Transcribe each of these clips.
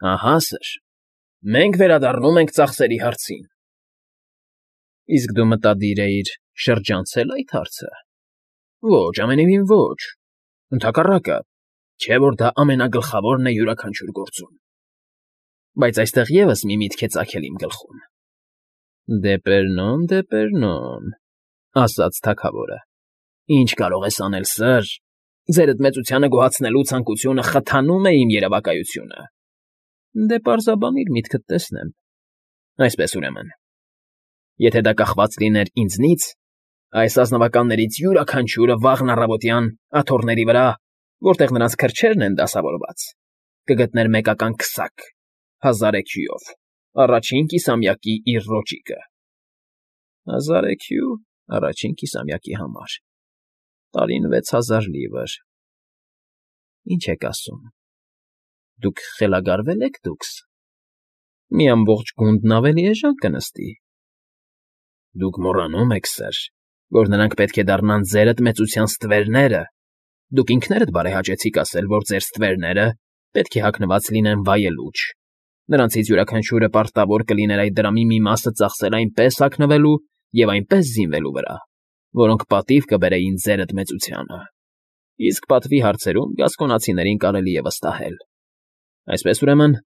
Ահա սր, մենք վերադառնում ենք ծախսերի հարցին։ Իսկ դու մտադիր էիր շրջանցել այդ հարցը։ Ոչ, ամենևին ոչ, ընդհակառակը, չէ՞ որ դա ամենագլխավորն է յուրաքանչյուր գործում։ Բայց այստեղ ևս մի միտք է ծագել իմ գլխում։ Դեպերնոն, ասաց թագավորը։ Ինչ կարող ես անել, սր, ձերդ մեծությանը գոհացնելու ցանկությունը խթանում է իմ երևակայությունը։ Դե պարզաբանիր, միտքդ տեսնեմ։ Այսպես ուրեմն, եթե դա կախված լիներ ինձնից, այս ազնվականներից յուրաքանչյուրը վաղն առավոտյան աթոռների վրա, որտեղ նրանց քրջերն են դասավորված, կգտներ մեկական քսակ, 1000 էքյուով, առաջին կիսամյակի իր ռոճիկը։ 1000 էքյու առաջին կիսամյակի համար, տարին 6000 լիվր։ Ինչ եք ասում։ Դուք խելագարվե՞լ եք դուքս։ Մի ամբողջ գունդն ավելի էժան կնստի։ Դուք մոռանում եք, սր, որ նրանք պետք է դառնան ձերդ մեծության ստվերները։ Դուք ինքներդ բարեհաճեցիք ասել, որ ձեր ստվերները պետք է հագնված լինեն վայելուչ։ Նրանցից յուրաքանչյուրը պարտավոր կլիներ այդ դրամի մի մասը ծախսել այնպես հագնվելու և այնպես զինվելու վրա, որոնք պատիվ կբերեին ձերդ մեծությանը։ Իսկ պատվի հարցերում գասկոնացիներին կարելի է վստահել։ Այսպես ուրեմն,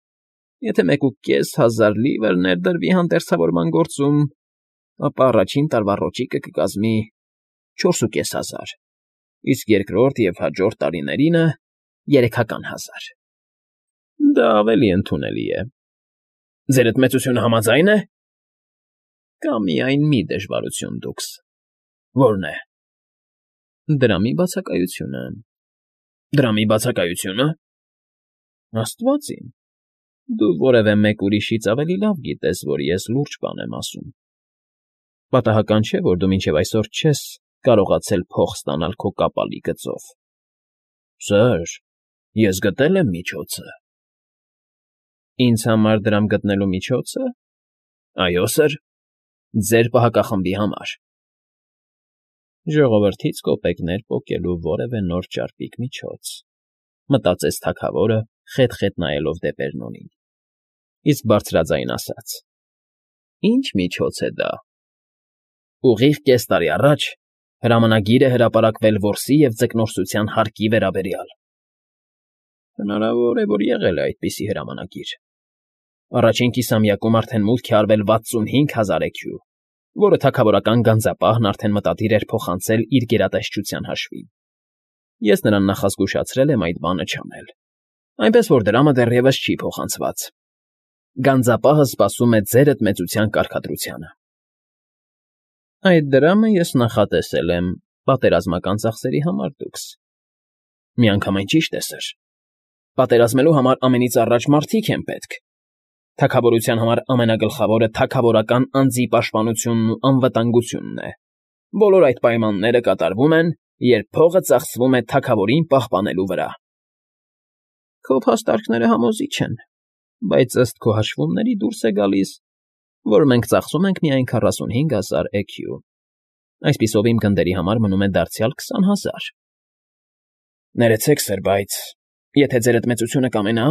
եթե 1500 լիվր ներդրվի հանդերձավորման գործում, ապա առաջին տարվա ռոճիկը կկազմի 4500, իսկ երկրորդ և հաջորդ տարիներինը 3000։ Դա ավելի ընդունելի է։ Ձերդ մեծությունը համաձա՞յն է։ Կա միայն մի դժվարություն դուքս։ Ո՞րն է։ Դրամի բացակայությունը։ Դրամի բացակայությո՞ւնը։ Աստված իմ, դու որևէ մեկ ուրիշից ավելի լավ գիտես, որ ես լուրջ բան եմ ասում։ Պատահական չէ, որ դու մինչև այսօր չես կարողացել փող ստանալ քո կապալի գծով։ Սր, ես գտել եմ միջոցը։ Ինձ համար դրամ գտնելու միջոցը։ Այո, սր, ձեր պահակախմբի համար։ Ժողովրդից կոպեկներ պոկելու որևէ նոր ճարպիկ միջոց, մտածեց թագավորը, խետ֊խետ նայելով Դեպերնոնին, իսկ բարձրաձայն ասաց. Ինչ միջոց է դա։ Ուղիղ կես տարի առաջ հրամանագիր է հրապարակվել որսի և ձկնորսության հարկի վերաբերյալ։ Հնարավոր է, որ եղել է այդպիսի հրամանագիր։ Առաջին կիսամյակում արդեն մուտք է արվել 65000 էքյու, որը թագավորական գանձապահն արդեն մտադիր էր փոխանցել իր գերատեսչության հաշվին։ Ես նրան նախազգուշացրել եմ այդ բանը չանել, այնպես որ դրամը դեռևս չի փոխանցված։ Գանձապահը սպասում է ձերդ մեծության կարգադրությանը։ Այդ դրամը ես նախատեսել եմ պատերազմական ծախսերի համար դուքս։ Միանգամայն ճիշտ է, սր։ Պատերազմելու համար ամենից առաջ մարդիկ են պետք։ Թագավորության համար ամենագլխավորը թագավորական անձի պաշտպանությունն ու անվտանգությունն է։ Բոլոր այդ պայմանները կատարվում են, երբ փողը ծախսվում է թագավորին պահպանելու վրա։ Քո փաստարկները համոզիչ են, բայց ըստ քո հաշվումների դուրս է գալիս, որ մենք ծախսում ենք միայն 45000 էքյու։ Այսպիսով իմ գնդերի համար մնում է դարձյալ 20000։ Ներեցեք, սր, բայց եթե ձերդ մեծությունը կամենա,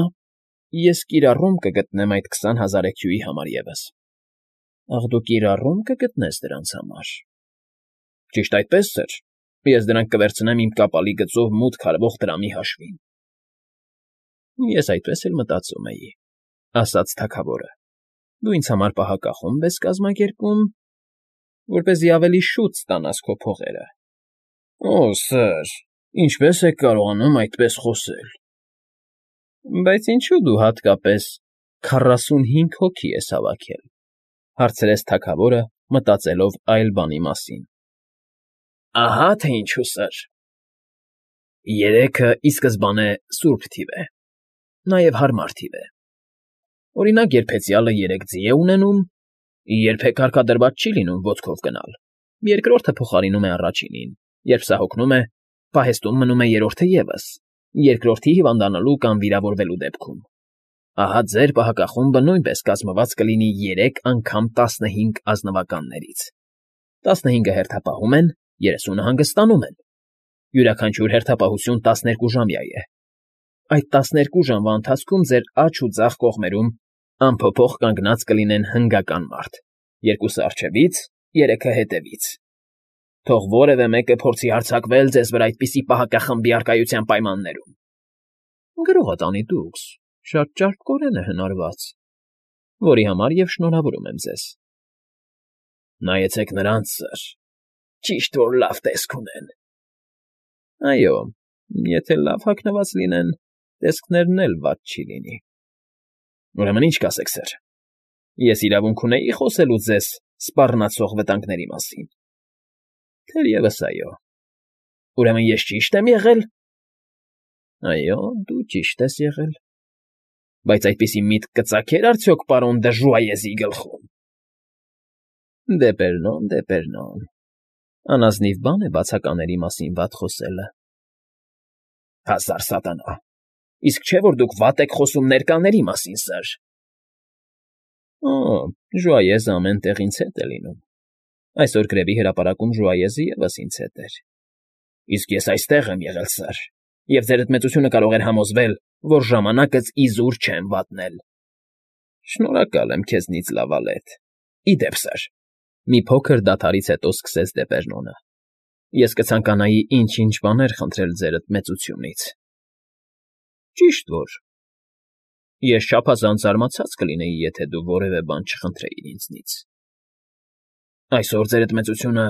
ես կիրառում կգտնեմ այդ 20000 էքյուի համար ևս։ Ախ, դու կիրառում կգտնես դրանց համար։ Ճիշտ այդպես, սր, ես դրանք կվերցնեմ իմ կապալի գծով մուտք արվող դրամի հաշվին։ Ես այդպես էլ մտածում էի, ասաց թագավորը։ Դու ինձ համար պահակախումբ ես կազմակերպում, որպեսզի ավելի շուտ ստանաս քո փողերը։ Օ, սր, ինչպես եք կարողանում այդպես խոսել։ Բայց ինչու դու հատկապես 45 հոգի ես հավաքել, հարցրեց թագավորը, մտածելով այլ բանի մասին։ Ահա թե ինչու, սր։ 3-ը ի սկզբանե սուրբ թիվ է, նաև հարմար թիվ է։ Օրինակ, երբ հեծյալը 3 ձի է ունենում, երբեք հարկադրված չի լինում ոտքով գնալ, երկրորդը փոխարինում է առաջինին, երբ սա հոգնում է, պահեստում մնում է երրորդը ևս, երկրորդի հիվանդանալու կամ վիրավորվելու դեպքում։ Ահա ձեր պահակախումբը նույնպես կազմված կլինի 3 անգամ 15 ազնվականներից։ 15-ը հերթապահում են, 30-ը հանգստանում են։ Յուրաքանչյուր հերթապահություն 12 ժամյա է։ այդ 12 ժամվա ընթացքում ձեր աջ ու ձախ կողմերում անփոփոխ կանգնած կլինեն հնգական մարդ, երկուսը առջևից, երեքը հետևից։ Թող որևէ մեկը փորձի հարձակվել ձեզ վրա այդպիսի պահակախմբի առկայության պայմաններում։ Գրողը տանի դուքս, շատ ճարպկորեն է հնարված, որի համար և շնորհավորում եմ ձեզ։ Նայեցեք նրանց, սըր, ճիշտ որ լավ տեսք ունեն։ Այո, եթե լավ հագնված լինեն, տեսքներն էլ վատ չի լինի։ Ուրեմն ինչ կասեք, սըր, ես իրավունք ունեի խոսելու ձեզ սպառնացող վտանգների մասին։ Թերևս այո։ Ուրեմն ես ճիշտ եմ եղել։ Այո, դու ճիշտ ես եղել։ Բայց այդպիսի միտք կծագեր արդյոք պարոն Դժուայեզի գլխում։ Դեպերնոն։ Անազնիվ բան է բացակաների մասին վատ խոսելը։ Հազար սատանա։ Իսկ չէ՞ որ դուք վատ եք խոսում ներկաների մասին, սըր։ Օ, Ժուայեզը ամեն տեղ ինձ հետ է լինում։ Այսօր գրեբի հրապարակում Ժուայեզը ևս ինձ հետ էր։ Իսկ ես այստեղ եմ եղել, սըր, և ձերդ մեծությունը կարող էր համոզվել, որ ժամանակս իզուր չեմ վատնել։ Շնորհակալ եմ քեզնից, Լավալետ։ Ի դեպ, սըր, մի փոքր դադարից հետո սկսեց Դեպերնոնը։ Ես կցանկանայի ինչ-ինչ բաներ խնդրել ձերդ մեծությունից։ Ճիշտ որ։ Ես չափազանց զարմացած կլինեի, եթե դու որևէ բան չխնդրեիր ինձնից։ Այսօր ձերդ մեծությունը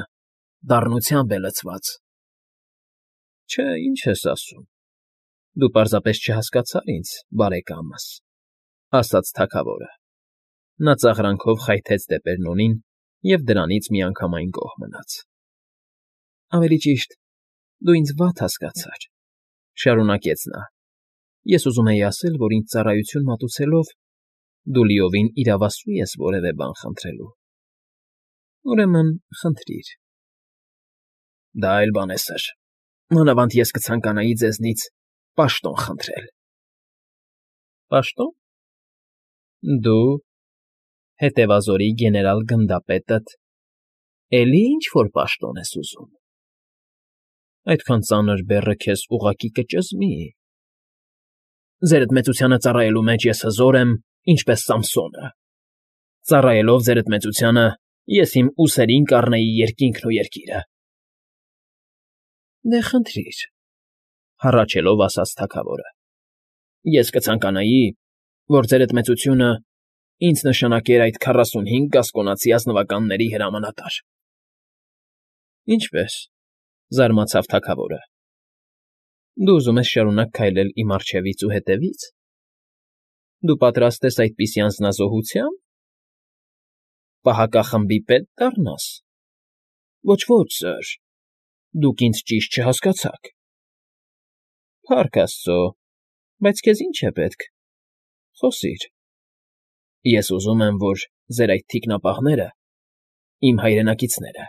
դառնությամբ է լցված։ Չէ, ինչ ես ասում։ Դու պարզապես չհասկացար ինձ, բարեկամս, ասաց թագավորը։ Նա ծաղրանքով խայթեց Դեպերնոնին և դրանից միանգամայն գոհ մնաց։ Ավելի ճիշտ, դու ինձ վատ հասկացար, շարունակեց նա։ Ես ուզում էի ասել, որ ինձ ծառայություն մատուցելով դու լիովին իրավասու ես որևէ բան խնդրելու։ Ուրեմն խնդրիր։ Դա այլ բան է, սըր։ Մանավանդ ես կցանկանայի ձեզնից պաշտոն խնդրել։ Պաշտոն։ Դու հետևազորի գեներալ գնդապետդ էլի ինչ֊որ պաշտոն ես ուզում։ Այդքան ծանր բեռը քեզ ուղղակի կճզմի։ Ձերդ մեծությանը ծառայելու մեջ ես հզոր եմ, ինչպես Սամսոնը։ Ծառայելով ձերդ մեծությանը, ես իմ ուսերին կառնեի երկինքն ու երկիրը։ Դե խնդրիր, հառաչելով ասաց թագավորը։ Ես կցանկանայի, որ ձերդ մեծությունը ինձ նշանակեր այդ 45 գասկոնացի ազնվականների հրամանատար։ Ինչպե՞ս,֊ զարմացավ թագավորը։ Դու ուզում ես շարունակ քայլել իմ առջևից ու հետևից։ Դու պատրաստ ես այդպիսի անձնազոհությա՞ն։ Պահակախմբի պետ դառնաս։ Ոչ, սըր, դուք ինձ ճիշտ չհասկացաք։ Փառք աստծո, բայց քեզ ի՞նչ է պետք։ Խոսիր։ Ես ուզում եմ, որ ձեր այդ թիկնապահները, իմ հայրենակիցները,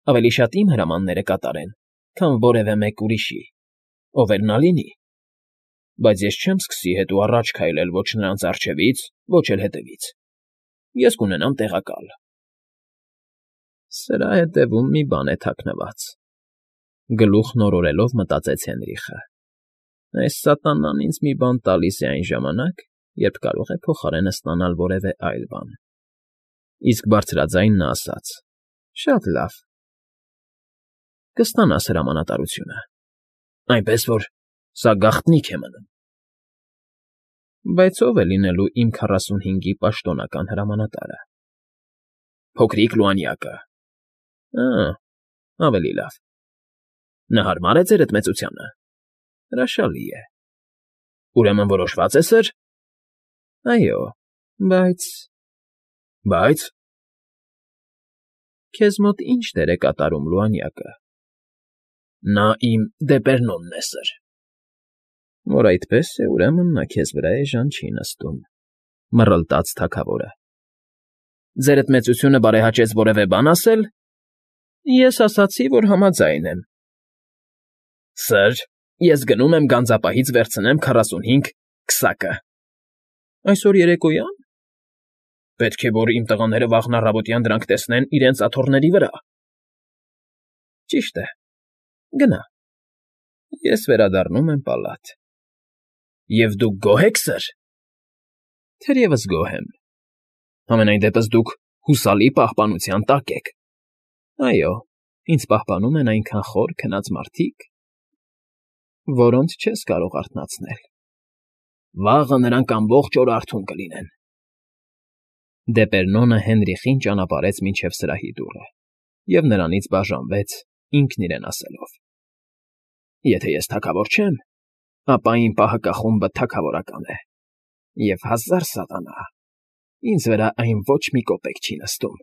ավելի շատ իմ հրամանները կատարեն, քան որևէ մեկ ուրիշի, ով էլ նա լինի, բայց ես չեմ սկսի հետո առաջ քայլել ոչ նրանց առջևից, ոչ էլ հետևից։ Ես կունենամ տեղակալ։ Սրա հետևում մի բան է թաքնված։ Գլուխն օրորելով մտածեց Հենրիխը։ Այս սատանան ինձ մի բան տալիս է այն ժամանակ, երբ կարող է փոխարենը ստանալ որևէ այլ բան։ Իսկ բարձրաձայն նա ասաց. Շատ լավ։ Կստանաս հրամանատարությունը, այնպես որ սա գաղտնիք է մնում։ Բայց ո՞վ է լինելու իմ 45-ի պաշտոնական հրամանատարը։ Փոքրիկ Լուանյակը։ Ավելի լավ։ Նա հարմար է ձերդ մեծությանը։ Հրաշալի է։ Ուրեմն որոշված է, սըր։ Այո, բայց… Բայց… Քեզ մոտ ի՞նչ դեր է կատարում Լուանյակը։ Նա իմ Դեպերնոնն է, սըր։ Որ այդպես է, ուրեմն նա քեզ վրա էժան չի նստում,֊ մռլտաց թագավորը։ Ձերդ մեծությունը բարեհաճեց որևէ բան ասել։ Ես ասացի, որ համաձայն եմ։ Սըր, ես գնում եմ գանձապահից վերցնեմ 45 քսակը։ Այսօր երեկոյա՞ն։ Պետք է, որ իմ տղաները վաղն առավոտյան դրանք տեսնեն իրենց աթոռների վրա։ Ճիշտ է, գնա։ Ես վերադառնում եմ պալատ։ Եվ դուք գոհ եք, սըր։ Թերևս գոհ եմ։ Համենայն դեպս դուք հուսալի պահպանության տակ եք։ Այո, ինձ պահպանում են այնքան խոր քնած մարդիկ, որոնց չես կարող արթնացնել։ Վաղը նրանք ամբողջ օր արթուն կլինեն։ Դեպերնոնը Հենրիխին ճանապարհեց մինչև սրահի դուռը և նրանից բաժանվեց, ինքն իրեն ասելով. Եթե ես թագավոր չեմ, ապա իմ պահակախումբը թագավորական է, և 1000 սատանա, ինձ վրա այն ոչ մի կոպեկ չի նստում։